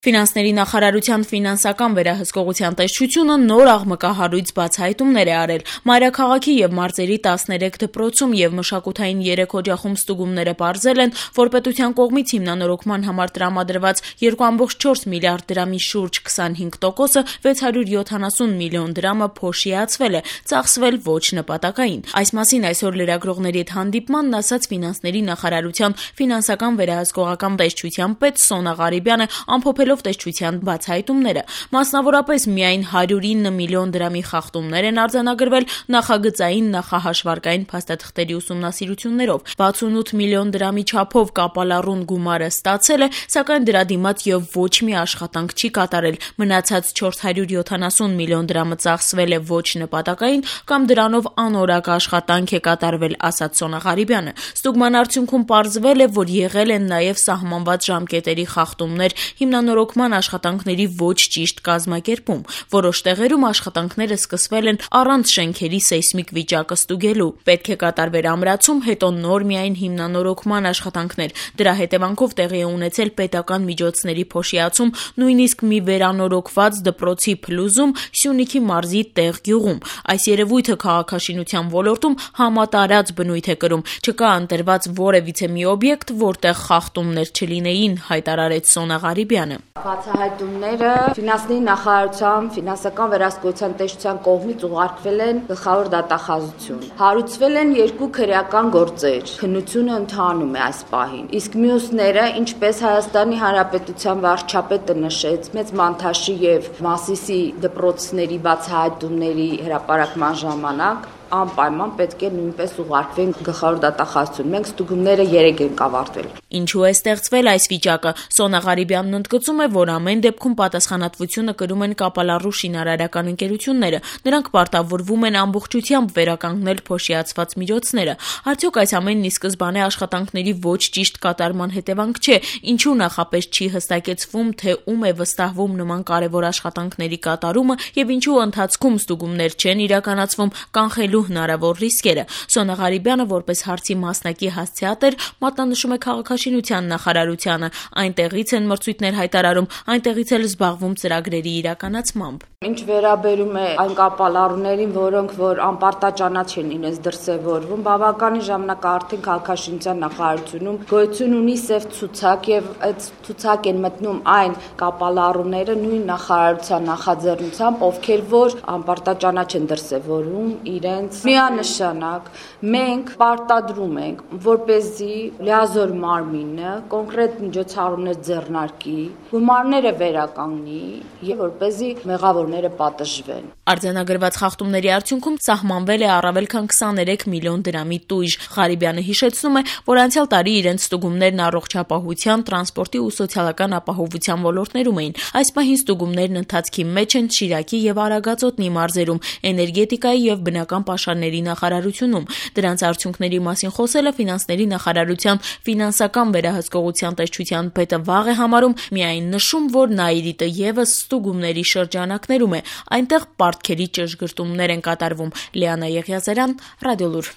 Ֆինանսների նախարարության ֆինանսական վերահսկողության տեսչությունը նոր աղմկահարույց բացահայտումներ է արել։ Մայրաքաղաքի և մարզերի 13 դպրոցում և մշակութային 3 օջախում ստուգումները պարզել են, որ պետության կողմից հիմնանորոգման համար տրամադրված 2,4 միլիարդ դրամի շուրջ 25%-ը 670 միլիոն դրամը փոշիացվել է, ծախսվել ոչ նպատակային։ Այս մասին այսօր լրագրողների հետ հանդիպմանն ասաց ֆինանսների նախարարության ֆինանսական վերահսկողական տեսչության պետ Սոնա Ղարիբյանը, ամփոփելով տեսչության բացահայտումները։ Մասնավորապես միայն 109 միլիոն դրամի խախտումներ են արձանագրվել նախագծային նախահաշվարկային փաստաթղթերի ուսումնասիրություններով, 68 միլիոն դրամի չափով կապալառուն գումարը ստացել է, սակայն դրա դիմաց եւ ոչ մի աշխատանք չի կատարել, մնացած 470 միլիոն դրամը ծախսվել է ոչ նպատակային կամ դրանով անորակ աշխատանք է կատարվել, ասաց Սոնա Ղարիբյանը։ Ստուգման արդյունքում պարզվել է, որ եղել են նաեւ սահմանված ժամկետերի խախտումներ, հիմնանորոգման աշխատանքների ոչ ճիշտ կազմակերպում։ Որոշ տեղերում աշխատանքները սկսվել են առանց շենքերի սեյսմիկ վիճակը ստուգելու։ Պետք է կատարվեր ամրացում, հետո նոր միայն հիմնանորոգման աշխատանքներ։ Դրա հետևանքով տեղի է ունեցել պետական միջոցների փոշիացում, նույնիսկ մի վերանորոգված դպրոցի փլուզում Սյունիքի մարզի Տեղ գյուղում։ Այս երևույթը քաղաքաշինության ոլորտում համատարած բնույթ է կրում։ Չկա ընտրված որևիցե մի օբյեկտ, որտեղ խախտումներ չլինեին, հայտարարեց Սոնա Ղարիբյանը։ Բացահայտումները ֆինանսների նախարարության ֆինանսական վերահսկողության տեսչության կողմից ուղարկվել են գլխավոր դատախազություն։ Հարուցվել են 2 քրեական գործեր։ Քննությունը ընթանում է այս պահին։ Իսկ մյուսները, ինչպես Հայաստանի Հանրապետության վարչապետը նշեց, Մեծ Մանթաշի եւ Մասիսի դպրոցների բացահայտումների հրապարակման ժամանակ անպայման պետք է նույնպես ուղարկվեն գլխավոր դատախազություն։ Մենք ստուգումները 3 ենք ավարտվել։ Ինչու է ստեղծվել այս վիճակը։ Սոնա Ղարիբյանն ընդգծում է, որ ամեն դեպքում պատասխանատվությունը կրում են կապալառու շինարարական ընկերությունները։ Նրանք պարտավորվում են ամբողջությամբ վերականգնել փոշիացված միջոցները։ Արդյոք այս ամենն ի սկզբանե աշխատանքների ոչ ճիշտ կատարման հետևանք չէ։ Ինչու նախապես չի հստակեցվում, թե ում է վստահվում նման կարևոր աշխատանքների կատարումը եւ ինչու ընթացքում ստուգումներ չեն իրականացվում, կանխելու հնարավոր ռիսկերը։ Սոնա Ղարիբյանը որպես հարցի մասնակի հասցեատեր մատնանշում է քաղաքաշինության նախարարությանը։ Այնտեղից են մրցույթներ հայտարարում, այնտեղից էլ զբաղվում ծրագրերի իրականացմամբ։ Ինչ վերաբերում է այն կապալառուներին, որոնք որ անպարտաճանաչ են իրենց դրսևորվում, բավականին ժամանակ արդեն քաղաքաշինության նախարարությունում գոյություն ունի սև ցուցակ եւ այդ ցուցակ են մտնում այն կապալառուները նույն նախարարության նախաձեռնությամբ, ովքեր որ անպարտաճանաչ են դրսևորվում իրենց միանշանակ մենք պարտադրում ենք, որպեսզի լիազոր մարմինը կոնկրետ միջոցառումներ ձեռնարկի, գումարները վերականգնի եւ որպեսզի մեղավորները պատժվեն։ Արձանագրված խախտումների արդյունքում սահմանվել է առավել քան 23 միլիոն դրամի տույժ։ Ղարիբյանը հիշեցնում է, որ անցյալ տարի իրենց ստուգումներն առողջապահության, տրանսպորտի ու սոցիալական ապահովության ոլորտներում էին։ Այս պահին ստուգումներն ընթացքի մեջ են Շիրակի եւ Արագածոտնի մարզերում, էներգետիկայի եւ բնական պաշարների նախարարությունում։ Դրանց արդյունքների մասին խոսելը ֆինանսների նախարարության ֆինանսական վերահսկողության տեսչության պետը վաղ է համարում, միայն նշում, որ Նաիրիտը եւս ստուգումների շրջանակներում է։ Այնտեղ պարտքերի ճշգրտումներ են կատարվում։ Լիանա Եղիազարյան, Ռադիոլուր։